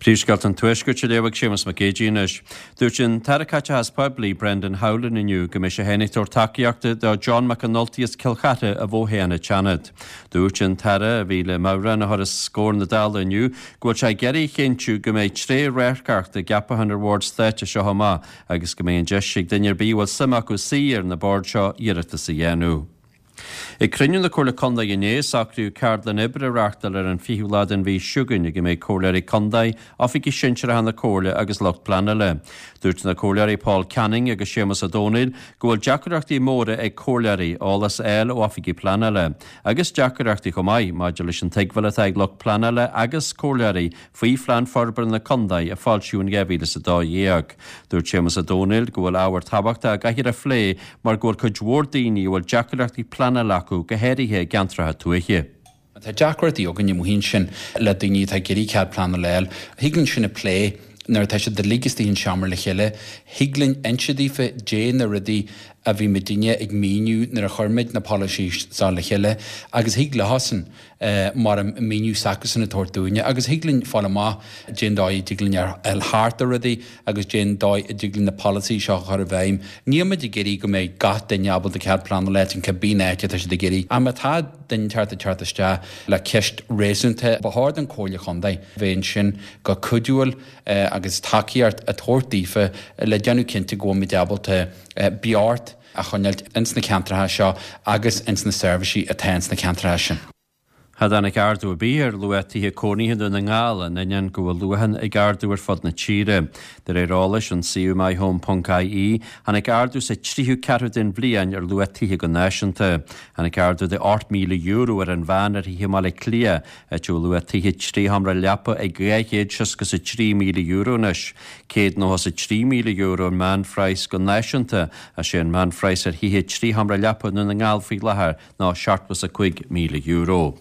Príomhscéalta an Tuaiscirt á léamh ag Séamus Mac Géidigh anois. Dúirt an tAire Caiteachais Poiblí, Brendan Howlin inniu go mbeidh sé féin ag tabhairt tacaíochta do John McAnulty as Cill Chartha a bhfothoghadh an tSeanad. Dúirt an tAire, a bhí le meabhrán a chur os comhair na Dála inniu, go bhfuil sé ag iarraidh a chinntiú go mbeidh trédhearcacht i gceapacháin ar bhoird stáit as seo amach agus go mbeidh an deis ag duine ar bith a bhfuil suim acu suí ar na boird seo iarratas a dhéanamh. Ag cruinniú na Comhairle Contae inné, socraíodh ceardlann oibre a reáchtáil ar an 20ú lá den mhí seo chugainn ag a mbeidh comhairleoirí contae, oifigigh sinsearacha na Comhairle agus lucht pleanála. Dúirt na comhairleoirí Paul Canning agus Séamus Ó Domhnaill go bhfuil deacrachtaí móra ag comhairleoirí eolas a fháil ó oifigigh pleanála, agus deacrachtaí chomh maith maidir leis an tuigbheáil atá ag lucht pleanála agus comhairleoirí faoi Phlean Forbartha na Contae a foilsíodh in 2012. Dúirt Séamus Ó Domhnaill go bhfuil ábhar tábhachtach a gcaithfear a phlé mar go bhfuil cuid mhór daoine a bhfuil deacrachtaí pleanála acu, go háirithe i gceantracha tuaithe. Tá deacrachtaí againn amuigh ansin le daoine atá ag iarraidh cead pleanála a fháil. Thig linn sin a phlé nuair atá siad uilig istigh in seomra le chéile. Thig linn inse daofa dé na rudaí a bhí muidinne ag míniú nuair a chuir muid na polasaí seo le chéile agus thig leosan mar an míniú s'acusan a tabhairt dúinne agus thig linn fáil amach dén dóigh a dtig linn a fháil thart ar rudaí agus dén dóigh a dtig linn na polasaí seo a chur i bhfeidhm. Níl muid ag iarraidh go mbeidh gach duine ábalta cead pleanála a fháil in cibé áit atá siad ag iarraidh. Ach má tá duine inteacht ag teacht isteach le ceist réasúnta, ba chóir don Chomhairle Chontae bheith ansin go cuidiúil agus tacaíocht a tabhairt daofa le déanamh cinnte go bhfuil muid ábalta beocht a choinneáilt ins na ceantracha seo agus ins na seirbhísí atá ins na ceantracha sin. Cha dtáinig ardú ar bith ar luach tithe cónaithe i nDún na nGall, in ainneoin go bhfuil luachan ag ardú ar fud na tíre. De réir eolais ón suíomh myhome.ie, tháinig ardú sa tríú ceathrú den bhliain ar luach tithe go náisiúnta. Tháinig ardú de €8,000 ar an mheán ar thithe i mBaile Átha Cliath, áit a bhfuil luach tithe 3 sheomra leapa ag €263,000 anois. €193,000 an meánphraghas go náisiúnta, ach sé an meánphraghas ar thithe 3 sheomra leapa i nDún na nGall faoi láthair ná €75,000.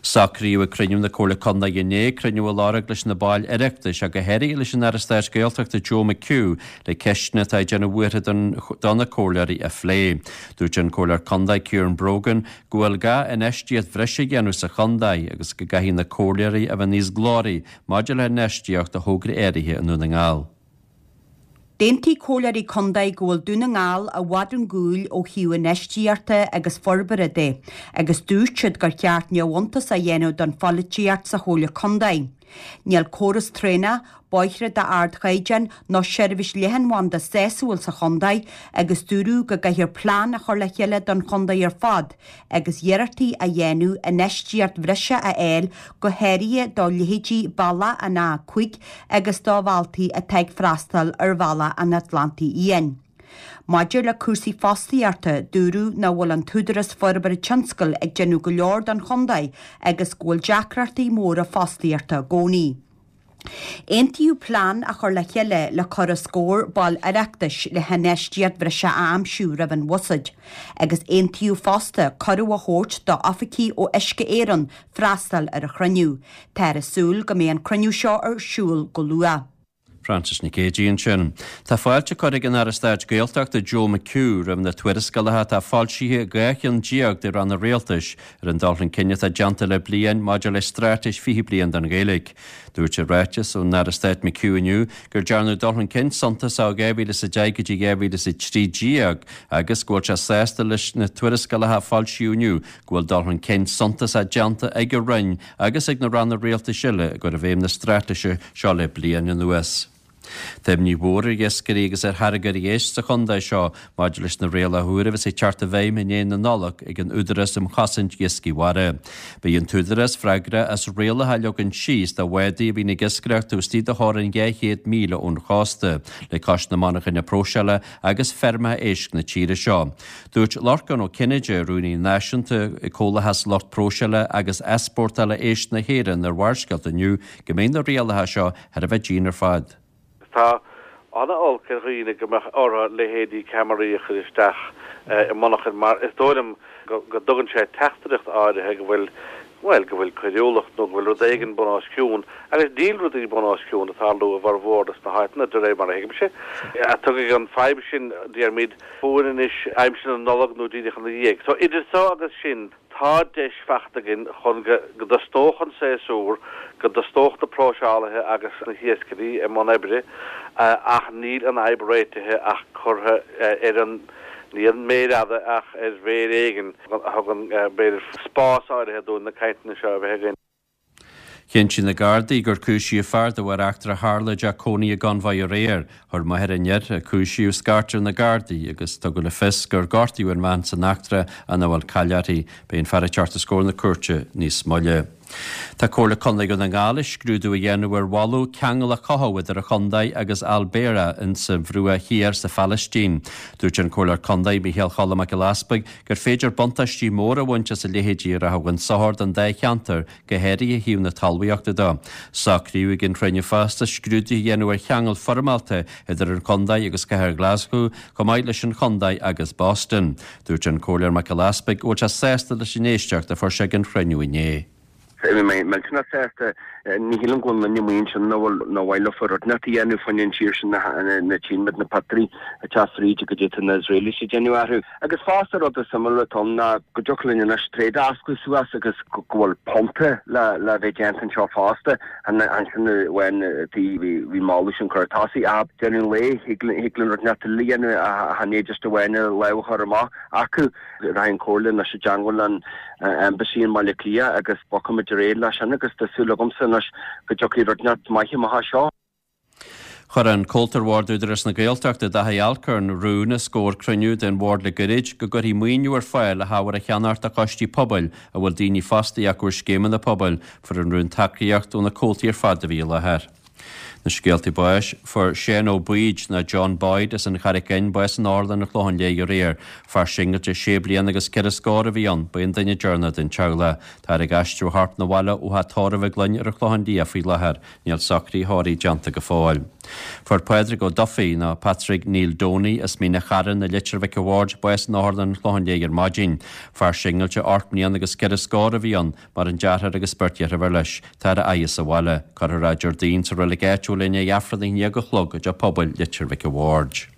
Socraíodh ag cruinniú na Comhairle Contae inné cruinniú a lorg leis na baill Oireachtais ach go háirithe leis an Aire Stáit Gaeltachta Joe McHugh le ceisteanna atá ag déanamh buartha do na comhairleoirí a phlé. Dúirt an Comhairleoir Contae Ciarán Brogan go bhfuil gá infheistíocht bhreise a dhéanamh sa chontae agus go gcaithfidh na comhairleoirí a bheith níos glóraí maidir le hinfheistíocht do thograí áirithe i nDún na nGall. D'aontaigh comhairleoirí contae go bhfuil Dún na nGall i bhfad chun cúil ó thaobh infheistíochta agus forbartha de agus dúirt siad gur cheart neamhiontas a dhéanamh don pholaitíocht sa chomhairle contae. Níl córas traenach, bóithre d'ardchaighdeán nó seirbhís leathanbhanda sásúil sa chontae agus dúradh go gcaithfear plean a chur le chéile don chontae ar fad agus iarrachtaí a dhéanamh infheistíocht bhreise a fháil go háirithe do leithéidí Bealach an A5 agus do dhaltaí atá ag freastal ar Bhealach an Atlantaigh Fhiáin. Maidir le cúrsaí fostaíochta, dúradh nach bhfuil an tÚdarás Forbartha Tionscail ag déanamh go leor don chontae agus go bhfuil deacrachtaí móra fostaíochta i gcónaí. Aontaíodh plean a chur le chéile le cur os comhair baill Oireachtais le hinfheistíocht bhreise a aimsiú roimh an bhuiséad agus aontaíodh fosta cuireadh a thabhairt d'oifigigh ó Uisce Éireann freastal ar an chruinniú. Táthar ag súil go mbeidh an cruinniú seo ar siúl go luath. Frances Nic Géadaigh ansin. Tá fáilte curtha ag an Aire Stáit Gaeltachta Joe McHugh roimh na tuarascálacha atá foilsithe ag 12 cheann de ranna rialtais ar an dul chun cinn atá déanta le bliain maidir le Straitéis 20 Bliain don Ghaeilge. Dúirt i ráiteas ón Aire Stáit McHugh inniu gur dearnadh dul chun cinn suntasach ó 2010 go dtí 2013 agus go bhfuil sé sásta leis na tuarascálacha a foilsíodh inniu go bhfuil dul chun cinn suntasach déanta ag a Roinn agus ag na ranna rialtais eile i gcur i bhfeidhm na straitéise seo le bliain anuas. Tá imní mhór ar iascairí agus ar tháirgeoirí éisc sa chontae seo maidir leis na rialacha úra a bheas ag teacht i bhfeidhm i ndiaidh na Nollag ag an Údarás um Chosaint Iascaigh Mhara. Beidh an tÚdarás freagrach as rialacha a leagan síos do bhádaí a bhíonn ag iascaireacht taobh istigh de theorainn 200 míle ón chósta, le cois na monarchana próiseála agus feirmeacha éisc na tíre seo. Dúirt Lorcán Ó Cinnéide, Rúnaí Náisiúnta ag Comhlachas Lucht Próiseála agus Easpórtála Éisc na hÉireann ar Bharrscéalta inniu go mbeidh na rialacha seo thar a bheith dian ar fad. Tá ana-olc ar dhaoine go mbeadh orthu leithéidí ceamaraí a chur isteach i monarchain mar is dóigh liom go dtugann sé teachtaireacht áirithe go bhfuil. bhuel, go bhfuil coiriúlacht nó go bhfuil rud éigin bun os cionn, agus níl rudaí bun os cionn ag tarlú i bhformhór dos na háiteanna, de réir mar a thuigimse. Tiocfaidh an fadhb sin, déarfaimid, chugainn anois aimsir na Nollag nó díreach ina dhiaidh. So, idir so agus sin, tá deis fachta againn chun go dtosnódh an séasúr, go dtosnódh na próiseálaithe agus na hiascairí i mbun oibre, ach níl an fhadhb réitithe ach curtha ar an, ní ar an méir fhada ach ar mhéir éigin a thugann, b'fhéidir, spás áirithe dúinn na cainteanna seo a bheith againn. Chinntigh na Gardaí gur cúisíodh fear de bharr eachtra a tharla i dteach cónaí i gConmhaigh aréir. Chuir máthair an fhir a cúisíodh scairt ar na Gardaí agus tugadh le fios gur gortaíodh an bhean san eachtra ach nach bhfuil caill uirthi. Beidh an fear ag teacht os comhair na cúirte níos moille. Tá Comhairle Contae Dhún na nGall ag scrúdú a dhéanamh ar mholadh ceangal a chothú idir an chontae agus Al Bireh insa Bhruach Thiar sa Phalaistín. Dúirt an Comhairleoir Contae Micheál Choilm Mac Giolla Easpaig gur féidir buntáistí móra a bhaint as a leithéidí a rachadh chun sochair don dá cheantar, go háirithe ó thaobh na talmhaíochta de. Socraíodh ag an chruinniú fosta scrúdú a dhéanamh ar cheangal foirmeálta idir an chontae agus cathair Ghlaschú, chomh maith leis an chontae agus Boston. Dúirt an Comhairleoir Mac Giolla Easpaig go bhfuil sé sásta leis an éisteacht a fuair sé ag an chruinniú inné. Bhí mé millteanach sásta. Ní shílim go bhfuil duine amuigh ansin nach bhfuil, nár mhaith leofa rud inteacht a dhéanamh fá choinne an tír sin, na tchíonn muid na pictiúirí ag teacht fríd goidé atá na Israelis ag déanamh orthu. Agus fosta rud is suimiúla atá ann ná go dtiocfadh linn anois trade a osclú suas agus go bhfuil punta le le bheith déanta anseo fosta. Ansin amháin bhí moladh sin curtha tosaigh ach deireadh an lae thig linn rud inteacht eile a dhéanamh ach chan é just amháin lámh a chur amach acu. Rachaidh an Chomhairle anois i dteangmháil leis an Embassy i mBaile Átha Cliath agus bogfaimid ar aghaidh leis sin agus tá súil agamsa anois go dtiocfaidh rud inteacht maith amach as seo. Chuir an Comhalta ar Bhord Údarás na Gaeltachta, Dáithí Alcorn, rún os comhair cruinniú den Bhord le goirid go gcuirfí maoiniú ar fáil le hábhar a cheannacht do choistí pobail a bhfuil daoine fostaithe acu ar scéimeanna pobail. Fuair an rún tacaíocht ó na comhaltaí ar fad a bhí i láthair. Na scéaltaí báis, Fuair Séan Ó Baoid, nó John Boyd, as an Charraic Fhinn, bás in Otharlann an Chlocháin Léith aréir. Fear singilte sé bliana agus ceithre scór a bhí ann. Ba é an duine deireanach den teaghlach. Táthar ag aistriú a chorp 'na bhaile ó theach tórraimh i gCloinn ar an Chlochán Liath faoi láthair. Níl socruithe tórraimh déanta go fóill. Fuair Pádraig Ó Dufaigh, nó Patrick Neil Downey, as Mín a' Charrain i Leitir Mhic a' Bhaird, bás in Otharlann an Chlocháin Léith ar maidin. Fear singilte 8 mbliana agus ceithre scór a bhí ann. Maireann deartháir agus beirt dheirfiúr leis. Táthar á fhaire sa bhaile. Cuirfear é Déardaoin sa reilig áitiúil i ndiaidh Aifreann 11 a chlog i dteach pobail Leitir Mhic a' Bhaird.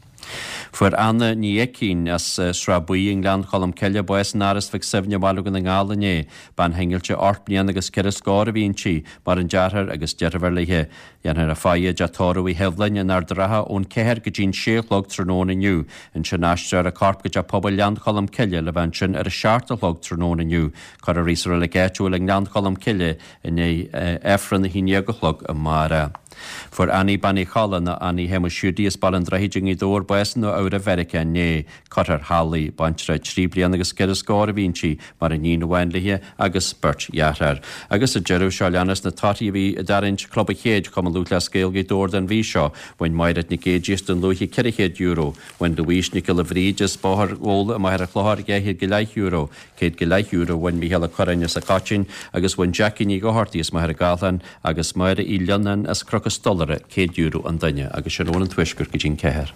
Fuair Anna Ní Eicín as Srath Buí i nGleann Cholm Cille bás in Áras Mhic Suibhne i mBaile Dhún na nGall inné. Bean shingillte 8 mbliana agus ceithre scór a bhí inti. Maireann deartháir agus deirfiúr léi. Dhéanfar a faire i dteach tórraimh Uí Shibhleáin in Ard an Rátha ón 4 go dtí'n 6 a chlog tráthnóna inniu. Ansin aistreofar a corp go Teach Pobail Ghleann Cholm Cille le bheith ansin ar a 7 a chlog tráthnóna inniu. Cuirfear í sa reilig áitiúil i nGleann Cholm Cille i ndiaidh Aifreann 11 a chlog amárach. Fuair Annie Bean Uí Cholla nó Annie Shéamuis Hiúdaí as Baile an Droichid i nGaoth Dobhair bás i Nua Eabhrac Mheiriceá inné. Curtha thall í. Baintreach trí bliana agus ceithre scór a bhí inti, maireann iníon amháin léi agus beirt dheartháir. Agus sa deireadh, seo a leanas na torthaí a bhí i dtarraingt Club an Chéid, Chumann Lúthchleas Gael Ghaoth Dobhair don mhí seo. Bhain Máiréad Nic Géidigh as Dún Lúiche €400. Bhain Louise Nic Giolla Bhríde as Bóthar Bhóla i Machaire Chlochair €250. €150 a bhain Mícheál Ó Curráin as an Choitín agus bhain Jackie Ní Dhochartaigh as Machaire Gathlán agus Máire Uí Lionnáin as Cnoc an Stolaire €100 an duine agus sin Eoin an Tuaiscirt go dtí'n ceathair.